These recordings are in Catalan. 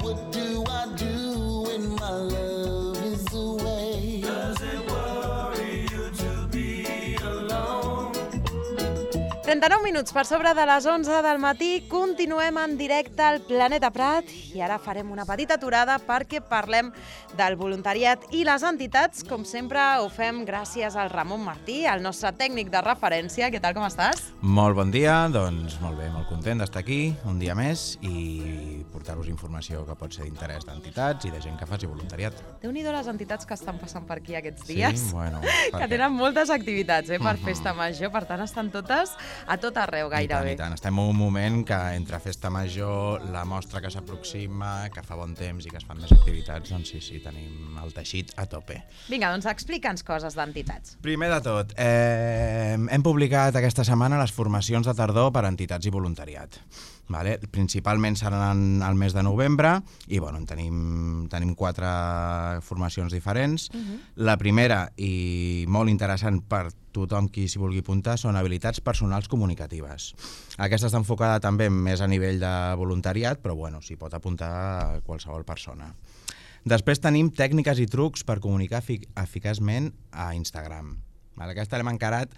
what do I do when my love is away? Does it worry you to be alone? 39 minuts per sobre de les 11 del matí, continuem en directe al Planeta Prat i ara farem una petita aturada perquè parlem del voluntariat i les entitats. Com sempre ho fem gràcies al Ramon Martí, el nostre tècnic de referència. Què tal, com estàs? Molt bon dia, doncs molt bé, molt content d'estar aquí un dia més i portar-vos informació que pot ser d'interès d'entitats i de gent que faci voluntariat. Déu-n'hi-do les entitats que estan passant per aquí aquests dies. Sí, bueno, que tenen moltes activitats per Festa Major, per tant estan totes a tot arreu gairebé. I tant. Estem en un moment que entre Festa Major, la mostra que s'aproxima, que fa bon temps i que es fan més activitats, doncs sí, tenim el teixit a tope. Vinga, doncs explica'ns coses d'entitats. Primer de tot, hem publicat aquesta setmana les formacions de tardor per a entitats i voluntariat. Vale? Principalment seran al mes de novembre i bueno, tenim 4 formacions diferents. La primera, i molt interessant per tothom qui s'hi vulgui apuntar, són habilitats personals comunicatives. Aquesta està enfocada també més a nivell de voluntariat, però bueno, s'hi pot apuntar qualsevol persona. Després tenim tècniques i trucs per comunicar eficaçment a Instagram. Aquesta l'hem encarat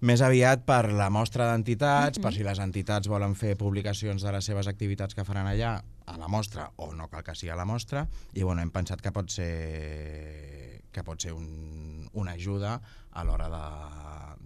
més aviat per la mostra d'entitats, per si les entitats volen fer publicacions de les seves activitats que faran allà a la mostra, o no cal que sigui a la mostra, i bueno, hem pensat que pot ser una ajuda a l'hora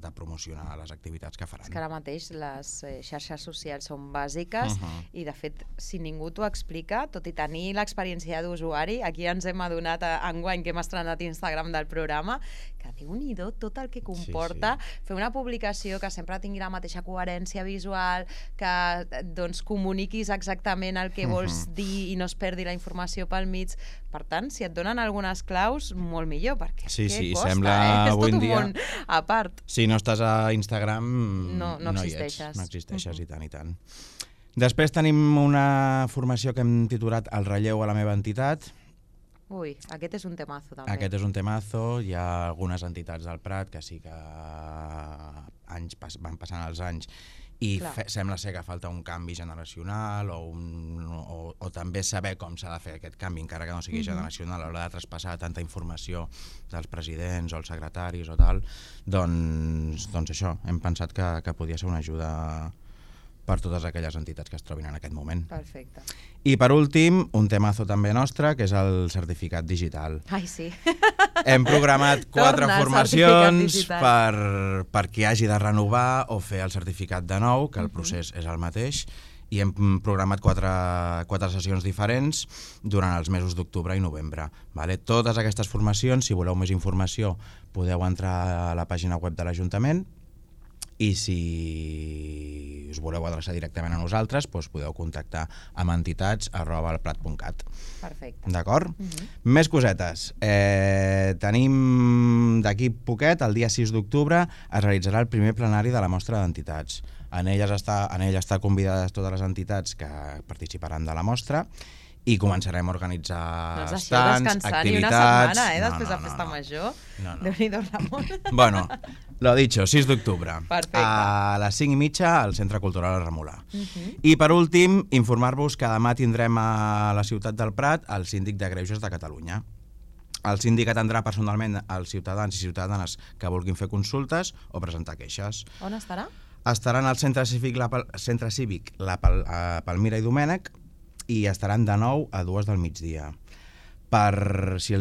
de promocionar les activitats que faran. És que ara mateix les xarxes socials són bàsiques i, de fet, si ningú t'ho explica, tot i tenir l'experiència d'usuari, aquí ens hem adonat enguany que hem estrenat Instagram del programa, que Déu-n'hi-do tot el que comporta fer una publicació que sempre tingui la mateixa coherència visual, que doncs comuniquis exactament el que vols dir i no es perdi la informació pel mig. Per tant, si et donen algunes claus, molt millor, perquè què costa, és tot un món a part. Si no estàs a Instagram, no existeixes. No existeixes, i tant. Després tenim una formació que hem titulat El relleu a la meva entitat. Ui, aquest és un temazo també. Aquest és un temazo, hi ha algunes entitats del Prat que sí que van passant els anys i sembla ser que falta un canvi generacional o també saber com s'ha de fer aquest canvi, encara que no sigui generacional, a l'hora de traspassar tanta informació dels presidents o els secretaris o tal, doncs això, hem pensat que podia ser una ajuda per totes aquelles entitats que es trobin en aquest moment. Perfecte. I per últim, un temazo també nostre, que és el certificat digital. Ai, sí. Hem programat 4 formacions per qui hagi de renovar o fer el certificat de nou, que el procés és el mateix, i hem programat 4 sessions diferents durant els mesos d'octubre i novembre. Totes aquestes formacions, si voleu més informació, podeu entrar a la pàgina web de l'Ajuntament, i si us voleu adreçar directament a nosaltres, doncs podeu contactar amb entitats@elprat.cat. Perfecte. D'acord? Més cosetes. Tenim d'aquí poquet, el dia 6 d'octubre, es realitzarà el primer plenari de la mostra d'entitats. En ell està convidades totes les entitats que participaran de la mostra i començarem a organitzar stands, activitats... Ni una setmana, després de Festa Major. Déu-n'hi-do, Ramon. Bueno, lo dicho, 6 d'octubre. Perfecte. A les 5:30 al Centre Cultural Remolà. I per últim, informar-vos que demà tindrem a la ciutat del Prat el síndic de Greuges de Catalunya. El síndic atendrà personalment als ciutadans i ciutadanes que vulguin fer consultes o presentar queixes. On estarà? Estaran al Centre Cívic La Palmira i Domènec, i estaran de 9 a 2 del migdia. Si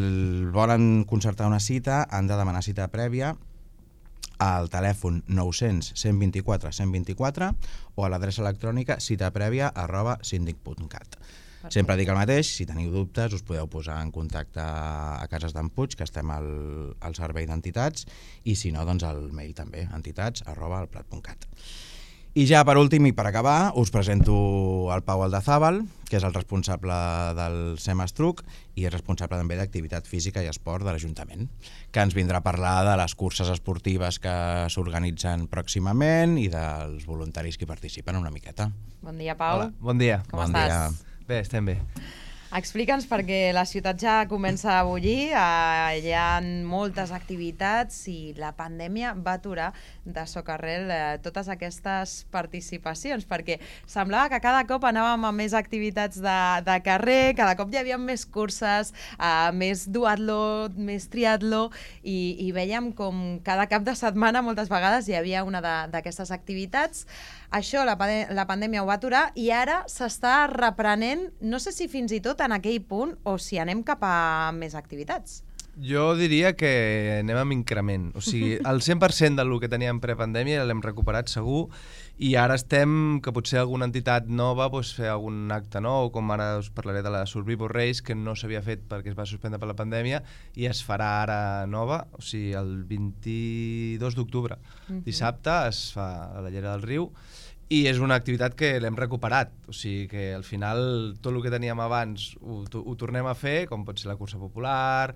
volen concertar una cita, han de demanar cita prèvia al telèfon 900 124 124 o a l'adreça electrònica citaprèvia@sindic.cat. Sempre dic el mateix, si teniu dubtes us podeu posar en contacte a Cases d'en Puig, que estem al servei d'entitats, i si no, doncs al mail també, entitats@elprat.cat. I ja per últim i per acabar us presento el Pau Aldazábal, que és el responsable del Semestruc i és responsable també d'activitat física i esport de l'Ajuntament, que ens vindrà a parlar de les curses esportives que s'organitzen pròximament i dels voluntaris que hi participen una miqueta. Bon dia, Pau. Hola, bon dia. Com estàs? Bé, estem bé. Explica'ns, perquè la ciutat ja comença a bullir, hi ha moltes activitats i la pandèmia va aturar de socarrel totes aquestes participacions, perquè semblava que cada cop anàvem a més activitats de carrer, cada cop hi havia més curses, més duatló, més triatló, i vèiem com cada cap de setmana moltes vegades hi havia una d'aquestes activitats. Això la pandèmia ho va aturar i ara s'està reprenent, no sé si fins i tot en aquell punt o si anem cap a més activitats. Jo diria que anem amb increment. O sigui, el 100% del que teníem prepandèmia l'hem recuperat segur i ara estem, que potser alguna entitat nova fer algun acte nou, com ara us parlaré de la Survivor Race, que no s'havia fet perquè es va suspendre per la pandèmia i es farà ara nova, o sigui, el 22 d'octubre. Dissabte es fa a la Llera del Riu i és una activitat que l'hem recuperat, o sigui que al final tot el que teníem abans ho tornem a fer, com pot ser la cursa popular,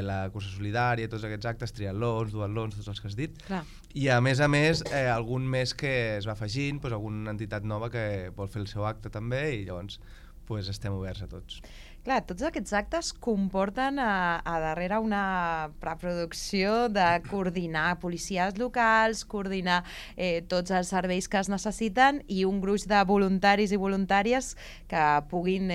la cursa solidària, tots aquests actes, triatlons, duatlons, tots els que has dit. Clar. I a més, algun més que es va afegint, alguna entitat nova que vol fer el seu acte també i llavors estem oberts a tots. Clar, tots aquests actes comporten a darrere una preproducció de coordinar policies locals, coordinar tots els serveis que es necessiten i un gruix de voluntaris i voluntàries que puguin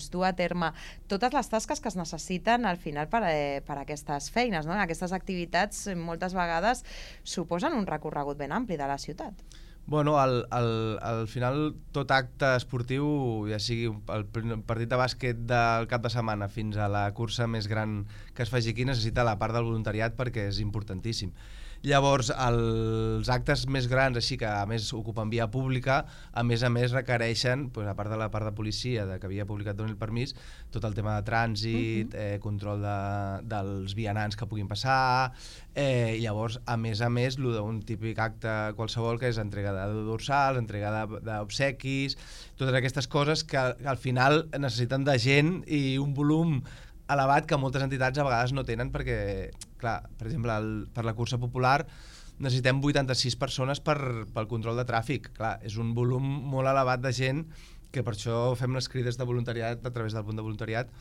dur a terme totes les tasques que es necessiten al final per a aquestes feines, no? Aquestes activitats moltes vegades suposen un recorregut ben ampli de la ciutat. Bueno, al final tot acte esportiu, ja sigui el partit de bàsquet del cap de setmana fins a la cursa més gran que es faci aquí, necessita la part del voluntariat perquè és importantíssim. Llavors, els actes més grans, així que a més ocupen via pública, a més requereixen, a part de la part de policia, que havia publicat doni el permís, tot el tema de trànsit, control dels vianants que puguin passar, i llavors, a més, un típic acte qualsevol que és entrega de dorsals, entrega d'obsequis, totes aquestes coses que al final necessiten de gent i un volum elevat que moltes entitats a vegades no tenen perquè, clar, per exemple, per la cursa popular necessitem 86 persones pel control de tràfic. Clar, és un volum molt elevat de gent que per això fem les crides de voluntariat a través del punt de voluntariat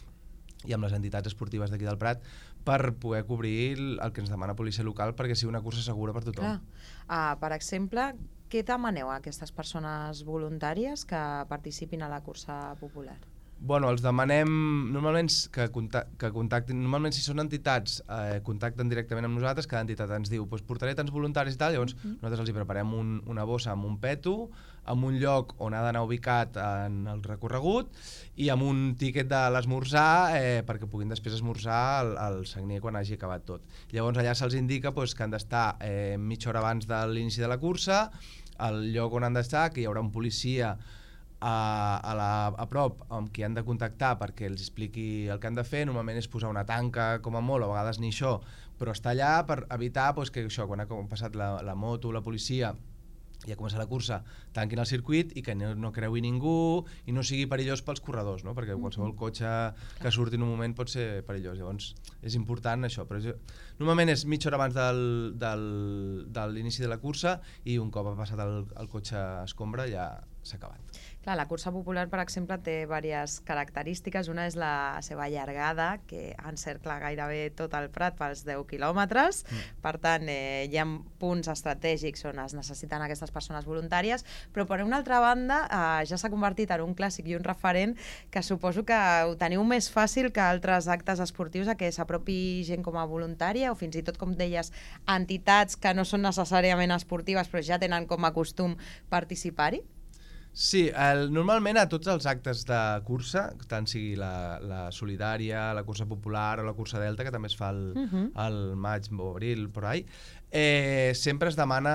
i amb les entitats esportives d'aquí del Prat per poder cobrir el que ens demana policia local perquè sigui una cursa segura per tothom. Per exemple, què demaneu a aquestes persones voluntàries que participin a la cursa popular? Bueno, els demanem normalment que contactin, normalment si són entitats contacten directament amb nosaltres, cada entitat ens diu portaré tants voluntaris i tal, llavors nosaltres els hi preparem una bossa amb un peto, amb un lloc on ha d'anar ubicat en el recorregut i amb un tíquet de l'esmorzar perquè puguin després esmorzar al Sagnier quan hagi acabat tot. Llavors allà se'ls indica que han d'estar mitja hora abans de l'inici de la cursa, al lloc on han d'estar, que hi haurà un policia a prop amb qui han de contactar perquè els expliqui el que han de fer. Normalment és posar una tanca com a molt, a vegades ni això, però està allà per evitar que això, quan ha passat la moto, la policia i ha començat la cursa, tanquin el circuit i que no creui ningú i no sigui perillós pels corredors, no? Perquè qualsevol cotxe que surti en un moment pot ser perillós, llavors és important això, però normalment és mitja hora abans de l'inici de la cursa i un cop ha passat el cotxe escombra ja s'ha acabat. Clar, la cursa popular, per exemple, té diverses característiques. Una és la seva llargada, que encercla gairebé tot el Prat pels 10 quilòmetres. Per tant, hi ha punts estratègics on es necessiten aquestes persones voluntàries, però per una altra banda ja s'ha convertit en un clàssic i un referent que suposo que ho teniu més fàcil que altres actes esportius a que s'apropi gent com a voluntària o fins i tot, com deies, entitats que no són necessàriament esportives però ja tenen com a costum participar-hi? Sí, normalment a tots els actes de cursa, tant sigui la solidària, la cursa popular o la cursa delta, que també es fa al maig o abril, por ahí, sempre es demana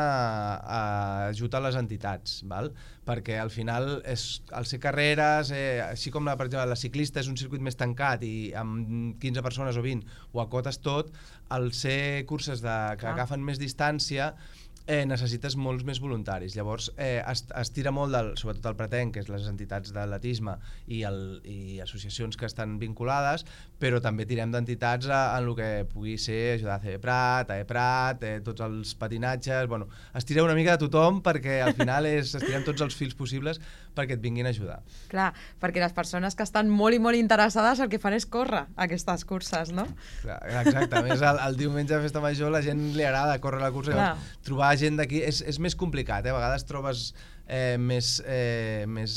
ajut a les entitats, val? Perquè al final, al ser carreres, així com per exemple, la ciclista és un circuit més tancat i amb 15 persones o 20 ho acotes tot, al ser curses que agafen més distància, necessites molts més voluntaris. Llavors es tira molt, sobretot el Pratenc, que és les entitats d'atletisme i associacions que estan vinculades, però també tirem d'entitats en el que pugui ser ajudar a Prat, Prat, tots els patinatges, bueno, es tira una mica de tothom perquè al final estirem tots els fils possibles perquè et vinguin a ajudar. Clar, perquè les persones que estan molt i molt interessades el que fan és córrer aquestes curses, no? Clar, exacte, a més el diumenge de Festa Major la gent li agrada córrer la cursa, llavors, trobar gent d'aquí és més complicat, a vegades trobes més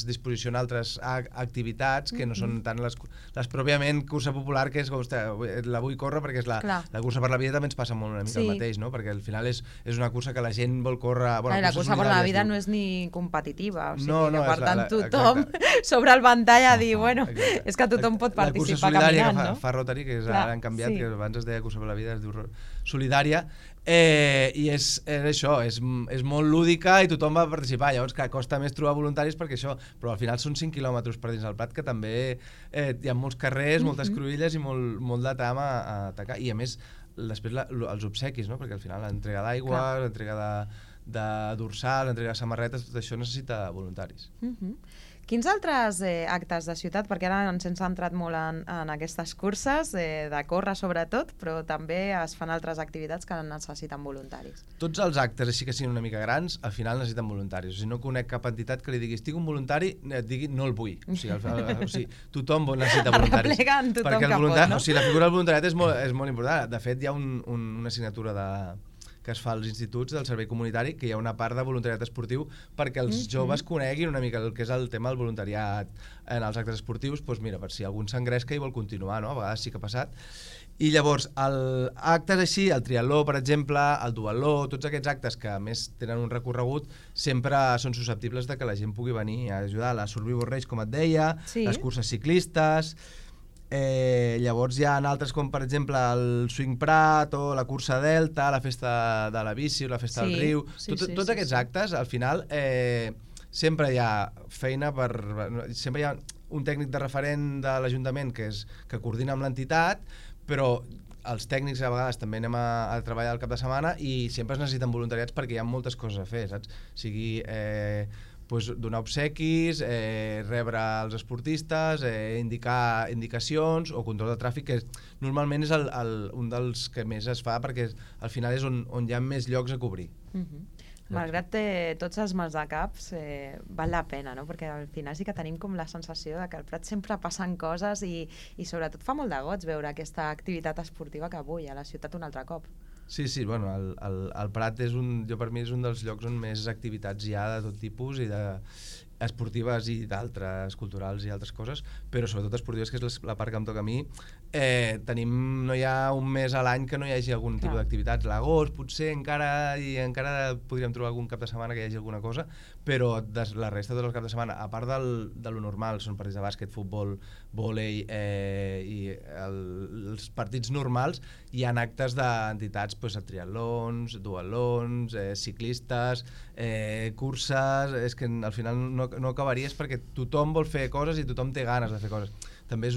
disposició en altres activitats que no són tant les pròpiament cursa popular, que és la vull córrer perquè és la cursa per la vida. També ens passa molt una mica el mateix, no? Perquè al final és una cursa que la gent vol córrer... La cursa per la vida no és ni competitiva, o sigui, no, per tant tothom sobre el ventall a dir, bueno, és que tothom pot participar caminant, no? La cursa solidària que fa Rotary, que ara han canviat, que abans es deia cursa per la vida, es diu solidària, i és això, és molt lúdica i tothom va participar. Llavors, que costa més trobar voluntaris perquè això, però al final són 5 quilòmetres per dins del Prat, que també hi ha molts carrers, moltes cruïlles i molt de tram a atacar. I a més, després els obsequis, no? Perquè al final l'entrega d'aigua, l'entrega de dorsal, l'entrega de samarretes, tot això necessita voluntaris. Quins altres actes de ciutat, perquè ara ens hem centrat molt en aquestes curses, de córrer sobretot, però també es fan altres activitats que necessiten voluntaris? Tots els actes, així que siguin una mica grans, al final necessiten voluntaris. O sigui, no conec cap entitat que li diguis, tinc un voluntari, et digui, no el vull. O sigui, tothom necessita voluntaris. Arreplegant tothom perquè que pot, no? O sigui, la figura del voluntariat és molt important. De fet, hi ha una assignatura que es fa als instituts del servei comunitari, que hi ha una part de voluntariat esportiu perquè els joves coneguin una mica el que és el tema del voluntariat en els actes esportius, doncs mira, per si algú s'engresca i vol continuar, no? A vegades sí que ha passat. I llavors, actes així, el triatló, per exemple, el duatló, tots aquests actes que a més tenen un recorregut, sempre són susceptibles de que la gent pugui venir a ajudar. La Survivor Race, com et deia, les curses ciclistes... llavors hi ha altres com per exemple el Swing Prat o la cursa Delta, la festa de la bici o la festa del riu, tots aquests actes al final sempre hi ha feina sempre hi ha un tècnic de referent de l'Ajuntament que coordina amb l'entitat, però els tècnics a vegades també anem a treballar el cap de setmana i sempre es necessiten voluntariats perquè hi ha moltes coses a fer, saps? Sigui donar obsequis, rebre els esportistes, indicar indicacions o control de tràfic, que normalment és un dels que més es fa perquè al final és on hi ha més llocs a cobrir. Malgrat tots els mals de caps, val la pena, no? Perquè al final sí que tenim com la sensació de que al Prat sempre passen coses i sobretot fa molt de goig veure aquesta activitat esportiva que avui a la ciutat un altre cop. Sí, bueno, el Prat per mi és un dels llocs on més activitats hi ha de tot tipus i esportives i d'altres, culturals i altres coses, però sobretot esportives, que és la part que em toca a mi. No hi ha un mes a l'any que no hi hagi algun tipus d'activitats. L'agost potser encara podríem trobar algun cap de setmana que hi hagi alguna cosa, però la resta de tots els caps de setmana, a part de lo normal, són partits de bàsquet, futbol, vòlei i els partits normals, hi ha actes d'entitats, triatlons, duatlons, ciclistes, curses. És que al final no acabaries perquè tothom vol fer coses i tothom té ganes de fer coses. També és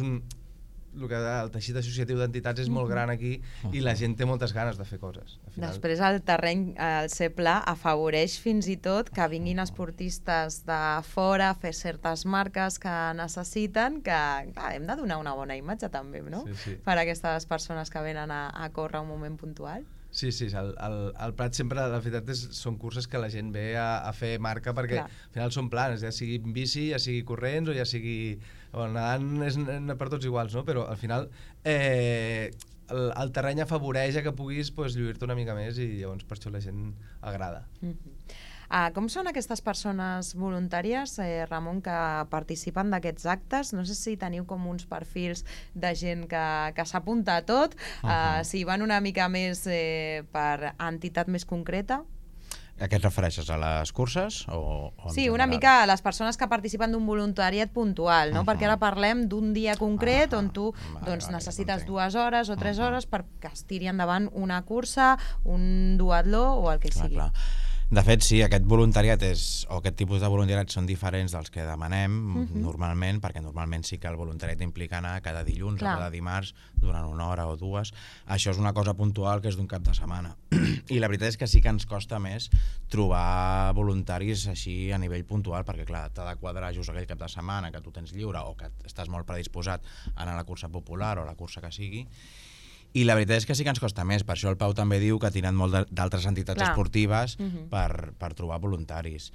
el teixit associatiu d'entitats és molt gran aquí i la gent té moltes ganes de fer coses. Després el terreny, el ser pla, afavoreix fins i tot que vinguin esportistes de fora a fer certes marques que necessiten, que hem de donar una bona imatge també, no? Per a aquestes persones que venen a córrer un moment puntual. Sí, el Prat sempre, la veritat, són curses que la gent ve a fer marca perquè al final són plans, ja sigui bici, ja sigui corrents o ja sigui... Nedant és per tots iguals, no? Però al final el terreny afavoreix que puguis lluir-te una mica més i llavors per això la gent agrada. Com són aquestes persones voluntàries, Ramon, que participen d'aquests actes? No sé si teniu com uns perfils de gent que s'apunta a tot, si van una mica més per entitat més concreta. A què et refereixes? A les curses? Sí, una mica a les persones que participen d'un voluntariat puntual, no? Perquè ara parlem d'un dia concret on tu necessites 2 hores o 3 hores perquè es tiri endavant una cursa, un duatló o el que sigui. De fet, sí, aquest voluntariat o aquest tipus de voluntariat són diferents dels que demanem normalment, perquè normalment sí que el voluntariat implica anar cada dilluns o cada dimarts durant 1 hora o 2. Això és una cosa puntual que és d'un cap de setmana. I la veritat és que sí que ens costa més trobar voluntaris així a nivell puntual, perquè clar, t'ha de quadrar just aquell cap de setmana que tu tens lliure o que estàs molt predisposat a anar a la cursa popular o a la cursa que sigui. I la veritat és que sí que ens costa més, per això el Pau també diu que ha tirat molt d'altres entitats esportives per trobar voluntaris.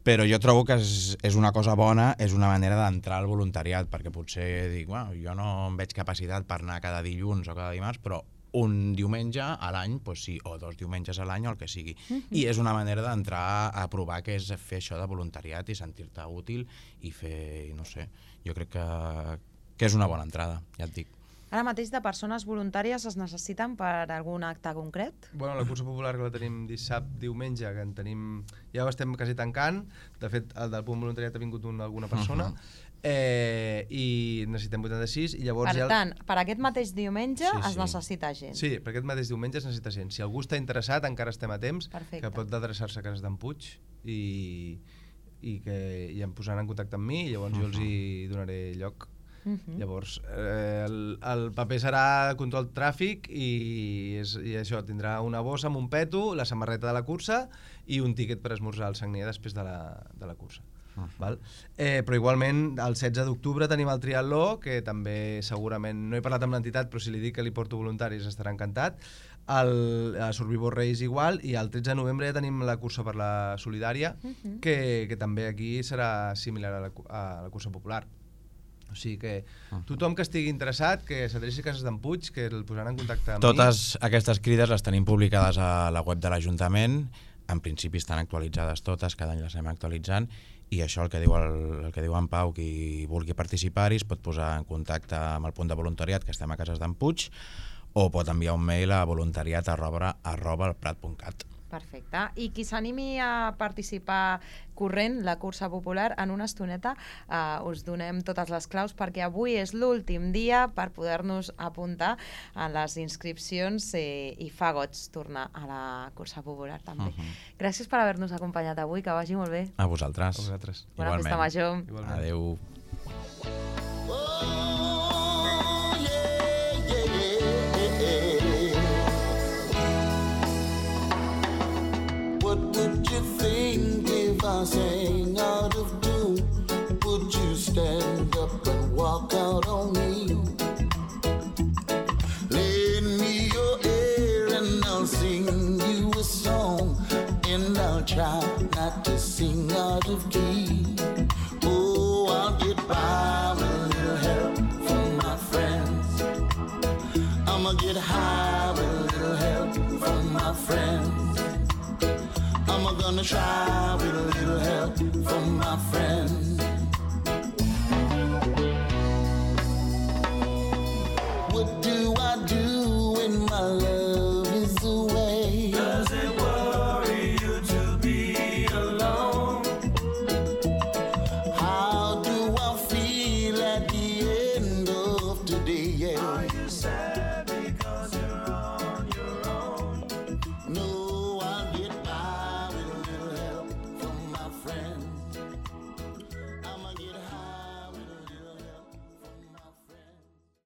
però jo trobo que és una cosa bona, és una manera d'entrar al voluntariat, perquè potser dic, bueno, jo no em veig capacitat per anar cada dilluns o cada dimarts, però un diumenge a l'any, doncs sí, o 2 diumenges a l'any o el que sigui. I és una manera d'entrar a provar què és fer això de voluntariat i sentir-te útil i fer, no sé, jo crec que és una bona entrada, ja et dic. Ara mateix de persones voluntàries es necessiten per algun acte concret? Bueno, la cursa popular que la tenim dissabte, diumenge, que en tenim... Ja ho estem quasi tancant. De fet, el del punt voluntariat ha vingut alguna persona. I necessitem 86 i llavors... Per tant, per aquest mateix diumenge Sí. es necessita gent. Sí, per aquest mateix diumenge es necessita gent. Si algú està interessat, encara estem a temps, Perfecte. que pot adreçar-se a Cases d'en Puig i em posaran en contacte amb mi i llavors jo els hi donaré lloc. Llavors, el paper serà control tràfic i això, tindrà una bossa amb un peto, la samarreta de la cursa i un tíquet per esmorzar al Sagnier després de la cursa. Val? Però igualment el 16 d'octubre tenim el triatló, que també segurament, no he parlat amb l'entitat, però si li dic que li porto voluntaris estarà encantat. El Survivor Race igual, i el 13 de novembre ja tenim la cursa per la solidària, que també aquí serà similar a la cursa popular. O sigui que tothom que estigui interessat, que s'adreci a Cases d'en Puig, que el posaran en contacte amb Totes aquestes crides les tenim publicades a la web de l'Ajuntament, en principi estan actualitzades totes, cada any les anem actualitzant, i això el que diu en Pau, qui vulgui participar-hi es pot posar en contacte amb el punt de voluntariat, que estem a Cases d'en Puig, o pot enviar un mail a voluntariat@elprat.cat. Perfecte. I qui s'animi a participar corrent la cursa popular, en una estoneta us donem totes les claus, perquè avui és l'últim dia per poder-nos apuntar a les inscripcions i fa goig tornar a la cursa popular també. Gràcies per haver-nos acompanyat avui, que vagi molt bé. A vosaltres. A vosaltres. Bona festa major. Igualment. Adéu. What would you think if I sang out of tune? Would you stand up and walk out on me? Lend me your ear and I'll sing you a song, and I'll try not to sing out of key. Oh, I'll get by with a little help from my friends. I'ma get high with a little help from my friends. I'm gonna try with a little help from my friends. What do I do when my love is away? Does it worry you to be alone? How do I feel at the end of today? Yeah. Are you sad?